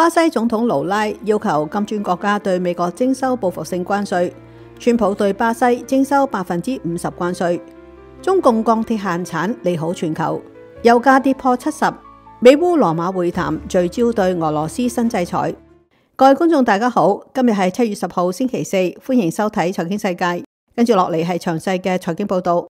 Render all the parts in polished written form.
巴西總統盧拉要求金磚國家對美國徵收報復性關稅，川普對巴西徵收50%關稅。中共鋼鐵限產利好全球，油價跌破70。美烏羅馬會談聚焦對俄羅斯新制裁。各位觀眾大家好，今日係7月10號星期四，歡迎收睇財經世界。跟住落嚟係詳細嘅財經報道。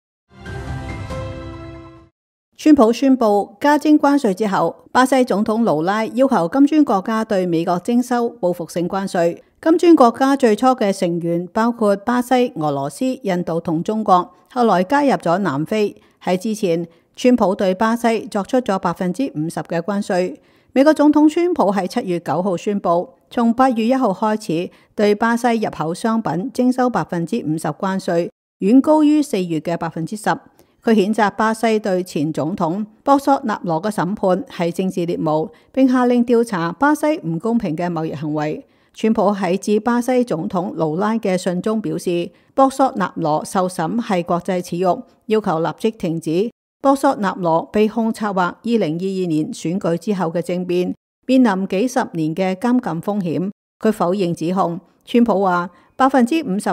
川普宣布加徵關稅之後，巴西總統盧拉要求金磚國家對美國徵收報復性關稅。金磚國家最初嘅成員包括巴西、俄羅斯、印度同中國，後來加入咗南非。喺之前，川普對巴西作出咗50%嘅關稅。美國總統川普喺7月9號宣布，從8月1號開始對巴西入口商品徵收50%關稅，遠高於4月嘅10%。佢譴責巴西對前總統博索納羅嘅審判係政治獵巫，並下令調查巴西唔公平嘅貿易行為。川普喺致巴西總統盧拉嘅信中表示，博索納羅受審係國際恥辱，要求立即停止。博索納羅被控策劃2022年選舉之後嘅政變，面臨幾十年嘅監禁風險。佢否認指控。川普話50%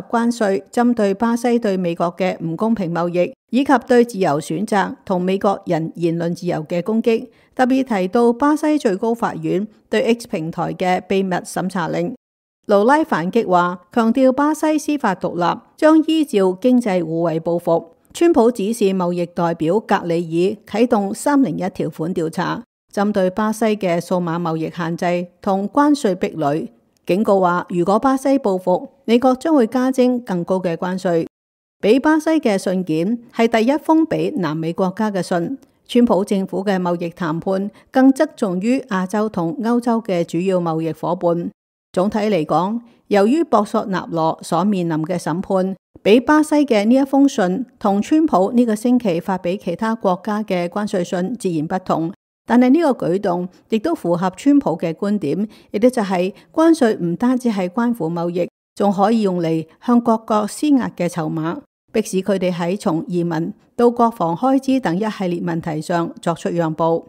關稅針對巴西對美國嘅唔公平貿易，以及對自由選擇同美國人言論自由嘅攻擊，特別提到巴西最高法院對 X 平台嘅秘密審查令。盧拉反擊話，強調巴西司法獨立，將依照經濟互惠報復。川普指示貿易代表格里爾啟動301條款調查，針對巴西嘅數碼貿易限制同關稅壁壘，警告話如果巴西報復，美國將會加徵更高嘅關稅。俾巴西嘅信件係第一封俾南美國家嘅信。川普政府嘅貿易談判更側重於亞洲同歐洲嘅主要貿易夥伴。總體嚟講，由於博索納羅所面臨嘅審判，俾巴西嘅呢一封信同川普呢個星期發俾其他國家嘅關稅信自然不同，但係呢個舉動亦都符合川普嘅觀點，亦都就係關稅唔單止係關乎貿易，仲可以用嚟向各國施壓嘅籌碼，迫使佢哋喺從移民到國防開支等一系列問題上作出讓步。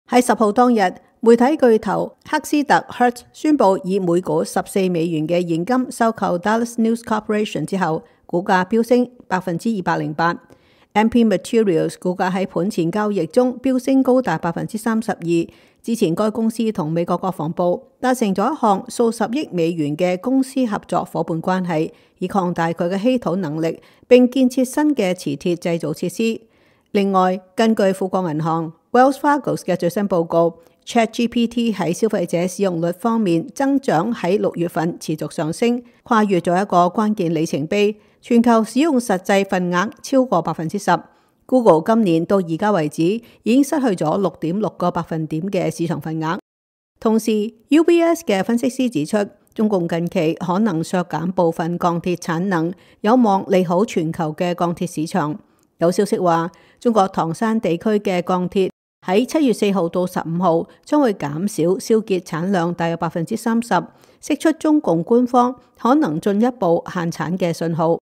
喺10號當日，媒體巨頭赫斯特 Hertz 宣布以每股14美元嘅現金收購 Dallas News Corporation 之後，股價飆升208%。MP Materials 股價喺盤前交易中飆升高達32%。之前該公司同美國國防部達成咗一項數十億美元嘅公司合作夥伴關係，以擴大佢嘅稀土能力，並建設新嘅磁鐵製造設施。另外，根據富國銀行 Wells Fargo 嘅最新報告，ChatGPT 喺消費者使用率方面增長喺6月份持續上升，跨越咗一個關鍵里程碑，全球使用實際份額超過10%。Google 今年到而家為止已經失去咗6.6個百分點嘅市場份額。同時 UBS 嘅分析師指出，中共近期可能削減部分鋼鐵產能，有望利好全球嘅鋼鐵市場。有消息話，中國唐山地區嘅鋼鐵喺7月4號到15號將會減少燒結產量大約30%，釋出中共官方可能進一步限產嘅信號。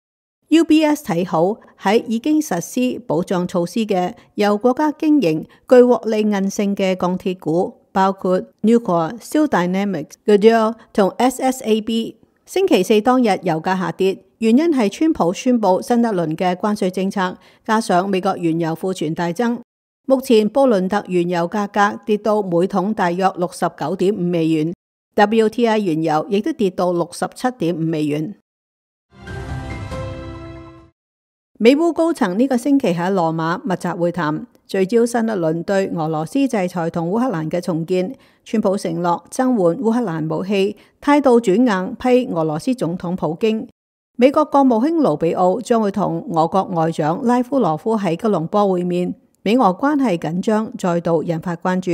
UBS 睇好喺已經實施保障措施嘅由國家經營具獲利韌性嘅鋼鐵股，包括 Nucor、Steel Dynamics、Goodyear 同 SSAB。星期四當日油價下跌，原因係川普宣布新一輪嘅關稅政策，加上美國原油庫存大增。目前布倫特原油價格跌到每桶大約69.5美元 ，WTI 原油亦都跌到67.5美元。美烏高層呢個星期喺羅馬密集會談，聚焦新一輪對俄羅斯制裁同烏克蘭嘅重建。川普承諾增援烏克蘭武器，態度轉硬批俄羅斯總統普京。美國國務卿盧比奧將會同俄國外長拉夫羅夫喺吉隆坡會面。美俄關係緊張再度引發關注。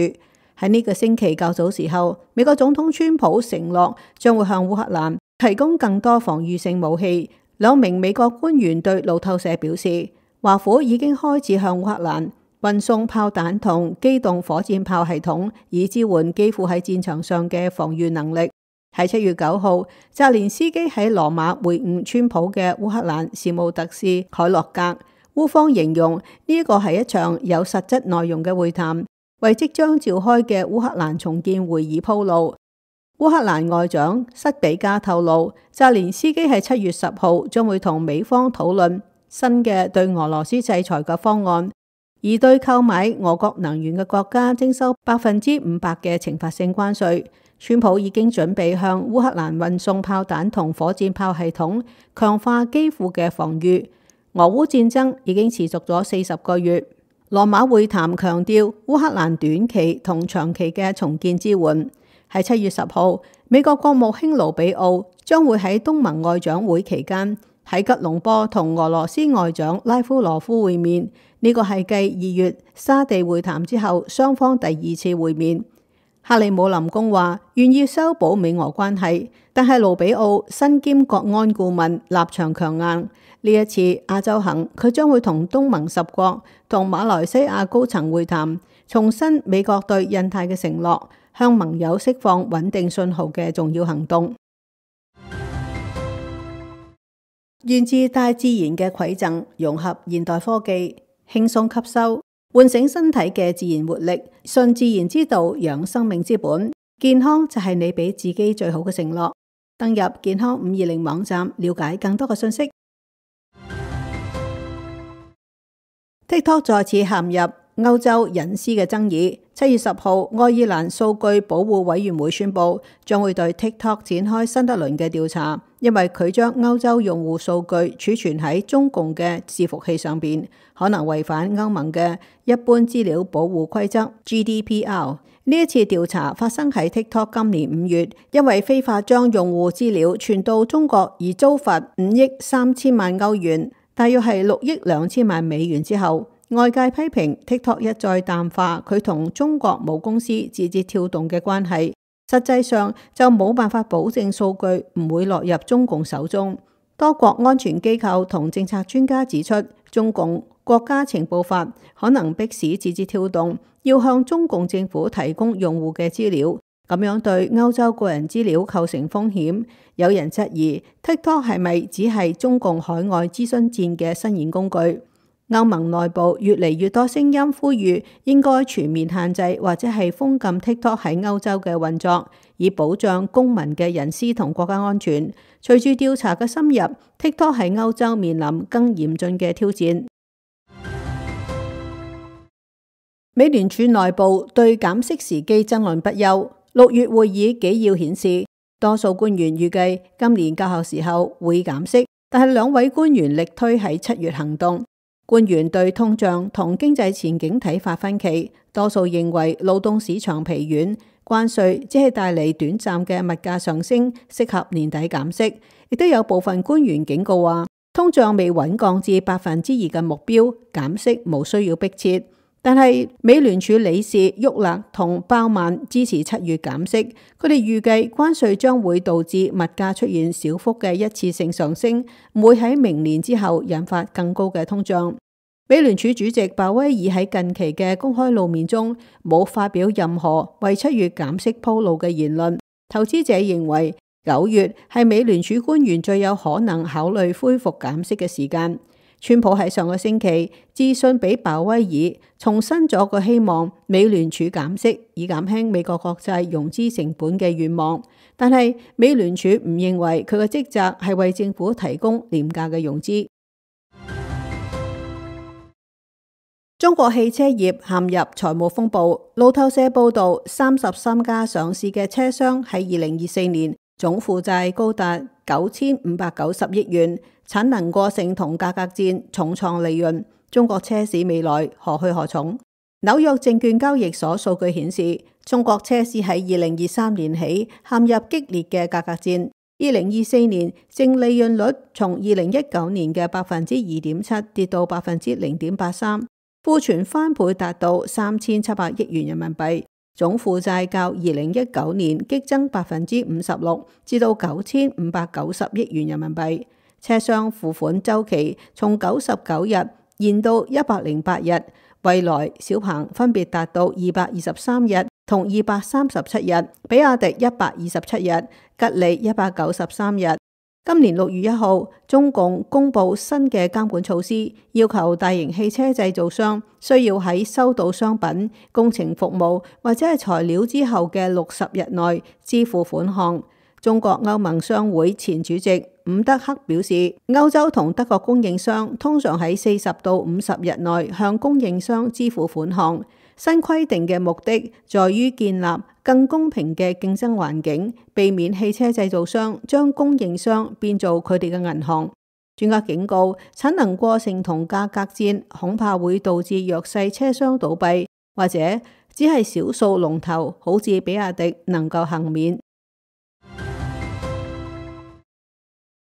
喺呢個星期較早時候，美國總統川普承諾將會向烏克蘭提供更多防禦性武器。兩名美國官員對路透社表示，華府已經開始向烏克蘭運送炮彈同機動火箭炮系統，以支援基輔喺戰場上嘅防禦能力。喺7月9號，澤連斯基喺羅馬會晤川普嘅烏克蘭事務特使凱洛格。烏方形容呢一個係一場有實質內容嘅會談，為即將召開嘅烏克蘭重建會議鋪路。烏克蘭外長塞比加透露，澤連斯基喺7月10號將會同美方討論新嘅對俄羅斯制裁嘅方案，而對購買俄國能源嘅國家徵收500%嘅懲罰性關稅。川普已經準備向烏克蘭運送炮彈同火箭炮系統，強化基輔嘅防禦。俄烏戰爭已經持續咗40個月。羅馬會談強調烏克蘭短期同長期嘅重建支援。喺7月10號，美國國務卿盧比奧將會喺東盟外長會期間喺吉隆坡同俄羅斯外長拉夫羅夫會面。呢個係繼2月沙地會談之後，雙方第2次會面。克里姆林宮話願意修補美俄關係，但係盧比奧身兼國安顧問，立場強硬。呢一次亞洲行，佢將會同東盟10國同馬來西亞高層會談，重申美國對印太嘅承諾，向盟友釋放穩定信號嘅重要行動。源自大自然嘅饋贈，融合現代科技，輕鬆吸收，喚醒身體嘅自然活力，順自然之道，養生命之本。健康就係你俾自己最好嘅承諾。登入健康520網站，了解更多嘅信息。TikTok 再次陷入歐洲隱私嘅爭議。7月10號，愛爾蘭數據保護委員會宣布，將會對 TikTok 展開新一輪嘅調查，因為佢將歐洲用戶數據儲存喺中共嘅伺服器上邊，可能違反歐盟嘅一般資料保護規則 GDPR。呢一次調查發生喺 TikTok 今年5月，因為非法將用戶資料傳到中國而遭罰5億3千萬歐元，大約係6億2千萬美元之後，外界批評 TikTok 一再淡化佢同中國母公司字節跳動嘅關係，實際上就冇辦法保證數據唔會落入中共手中。多國安全機構同政策專家指出，中共國家情報法可能迫使字節跳動要向中共政府提供用戶嘅資料，咁樣對歐洲個人資料構成風險。有人質疑 TikTok 係咪只係中共海外諮詢戰嘅伸延工具？歐盟內部越嚟越多聲音呼籲應該全面限制或者係封禁 TikTok 喺歐洲嘅運作，以保障公民嘅隱私同國家安全。隨住調查嘅深入， TikTok 喺歐洲面臨更嚴峻嘅挑戰。美聯儲內部對減息時機爭論不休。6月會議紀要顯示，多數官員預計今年較後時候會減息，但係2位官員力推喺7月行動。官員對通脹同經濟前景睇法分歧，多數認為勞動市場疲軟，關稅只係帶嚟短暫嘅物價上升，適合年底減息。亦都有部分官員警告話，通脹未穩降至2%嘅目標，減息無需要迫切。但係美聯儲理事沃勒同鮑曼支持7月減息，佢哋預計關稅將會導致物價出現小幅嘅一次性上升，唔會喺明年之後引發更高嘅通脹。美聯儲主席鮑威爾喺近期嘅公開露面中冇發表任何為7月減息鋪路嘅言論。投資者認為9月係美聯儲官員最有可能考慮恢復減息嘅時間。川普喺上個星期致信俾鮑威爾，重申咗個希望美聯儲減息，以減輕美國國債融資成本嘅願望。但係美聯儲唔認為佢嘅職責係為政府提供廉價嘅融資。中國汽車業陷入財務風暴。路透社報道，33家上市嘅車商喺2024年總負債高達9590億元。產能過剩同價格戰重創利潤，中國車市未來何去何從？紐約證券交易所數據顯示，中國車市喺2023年起陷入激烈嘅價格戰。2024年淨利潤率從2019年嘅2.7%跌到0.83%，庫存翻倍達到3700億元人民幣，總負債較2019年激增56%，至到9590億元人民幣。車商付款周期從99日延到108日，蔚來、小鵬分別達到223日同237日，比亞迪127日，吉利193日。今年6月1號，中共公布新嘅監管措施，要求大型汽車製造商需要喺收到商品、工程服務或者係材料之後嘅60日內支付款項。中國歐盟商會前主席伍德克表示，歐洲同德國供應商通常喺40到50日內向供應商支付款項。新規定嘅目的在於建立更公平嘅競爭環境，避免汽車製造商將供應商變做佢哋嘅銀行。專家警告，產能過剩同價格戰恐怕會導致弱勢車商倒閉，或者只係少數龍頭，好似比亞迪能夠幸免。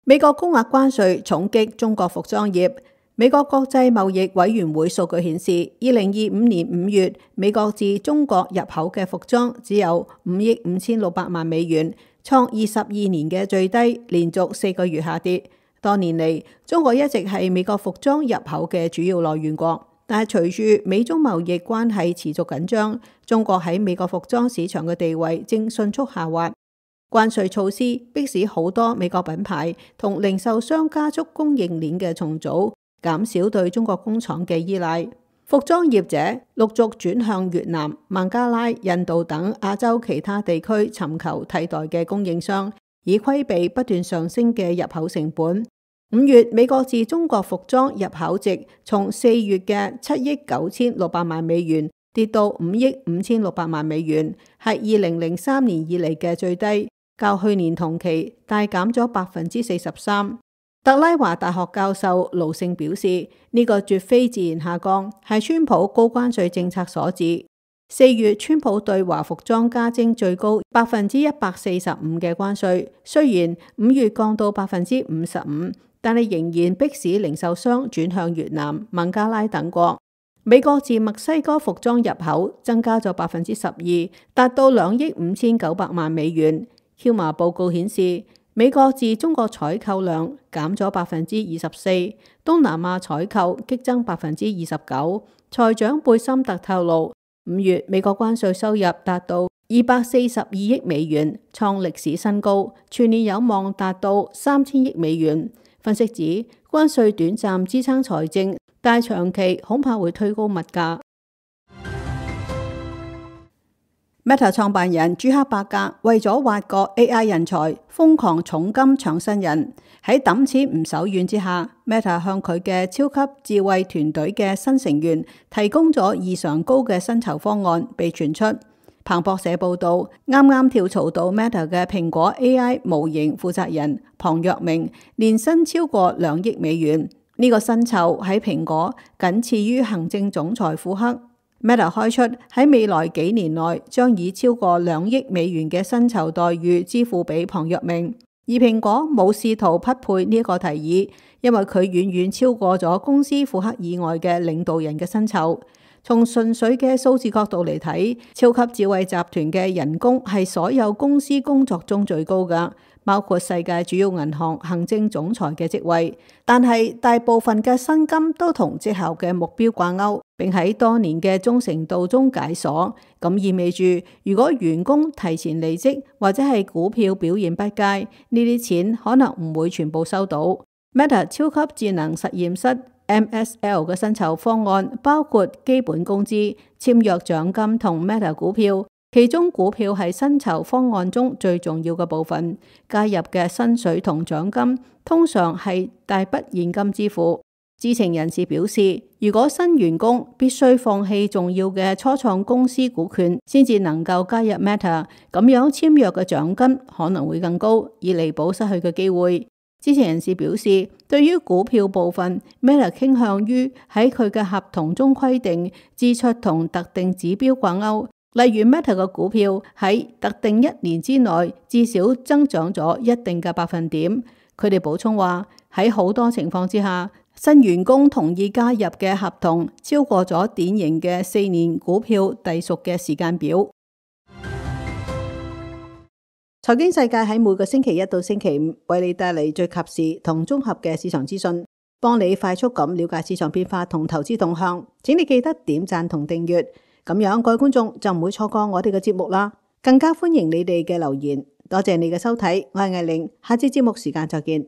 美國高額關稅重擊中國服裝業。美國國際貿易委員會數據顯示，2025年5月，美國自中國入口嘅服裝只有5億5600萬美元，創22年嘅最低，連續4個月下跌。多年嚟，中國一直係美國服裝入口嘅主要來源國，但係隨住美中貿易關係持續緊張，中國喺美國服裝市場嘅地位正迅速下滑。關稅措施迫使好多美國品牌同零售商加速供應鏈嘅重組，減少對中國工廠嘅依賴，服裝業者陸續轉向越南、孟加拉、印度等亞洲其他地區尋求替代嘅供應商，以規避不斷上升嘅入口成本。5月，美國自中國服裝入口值從4月嘅7億9600萬美元跌到5億5600萬美元，係2003年以嚟嘅最低，較去年同期大減咗43%。特拉華大學教授盧勝表示，呢個絕非自然下降，係川普高關稅政策所致。4月，川普對華服裝加徵最高145%嘅關稅，雖然5月降到55%，但係仍然迫使零售商轉向越南、孟加拉等國。美國自墨西哥服裝入口增加咗12%，達到2億5900萬美元。喬馬報告顯示，美國自中國採購量減咗24%，東南亞採購激增29%。財長貝森特透露，5月美國關稅收入達到242億美元，創歷史新高，全年有望達到3000億美元。分析指，關稅短暫支撐財政，但長期恐怕會推高物價。Meta 創辦人朱克伯格為咗挖角 AI 人才，瘋狂重金搶新人。喺抌錢唔手軟之下， Meta 向佢嘅超級智慧團隊嘅新成員提供咗異常高嘅薪酬方案，被傳出。彭博社報道，啱啱跳槽到 Meta 嘅蘋果 AI 模型負責人龐若明，年薪超過2億美元。呢個薪酬喺蘋果僅次於行政總裁庫克。Meta 開出喺未來幾年內將以超過2億美元嘅薪酬待遇支付俾龐若明，而蘋果冇試圖匹配呢個提議，因為佢遠遠超過咗公司庫克以外嘅領導人嘅薪酬。從純粹嘅數字角度嚟睇，超級智慧集團嘅人工係所有公司工作中最高㗎，包括世界主要銀行行政總裁嘅職位。但係大部分嘅薪金都同績效嘅目標掛鈎，並喺多年嘅忠誠度中解鎖。咁意味住，如果員工提前離職或者係股票表現不佳，呢啲錢可能唔會全部收到。Meta 超級智能實驗室MSL 嘅薪酬方案包括基本工資、簽約獎金同 Meta 股票，其中股票係薪酬方案中最重要嘅部分。加入嘅薪水同獎金通常係大筆現金支付。知情人士表示，如果新員工必須放棄重要嘅初創公司股權先至能夠加入 Meta， 咁樣簽約嘅獎金可能會更高，以彌補失去嘅機會。知情人士表示，對於股票部分 ，Meta 傾向於喺佢嘅合同中規定支出同特定指標掛鈎，例如 Meta 嘅股票喺特定1年之內至少增長咗一定嘅百分點。佢哋補充話，喺好多情況之下，新員工同意加入嘅合同超過咗典型嘅4年股票隸屬嘅時間表。財經世界喺每個星期1到星期5為你帶嚟最及時同綜合嘅市場資訊，幫你快速咁了解市場變化同投資動向。請你記得點讚同訂閱，咁樣各位觀眾就唔會錯過我哋嘅節目啦。更加歡迎你哋嘅留言。多謝你嘅收睇，我係藝玲，下次節目時間再見。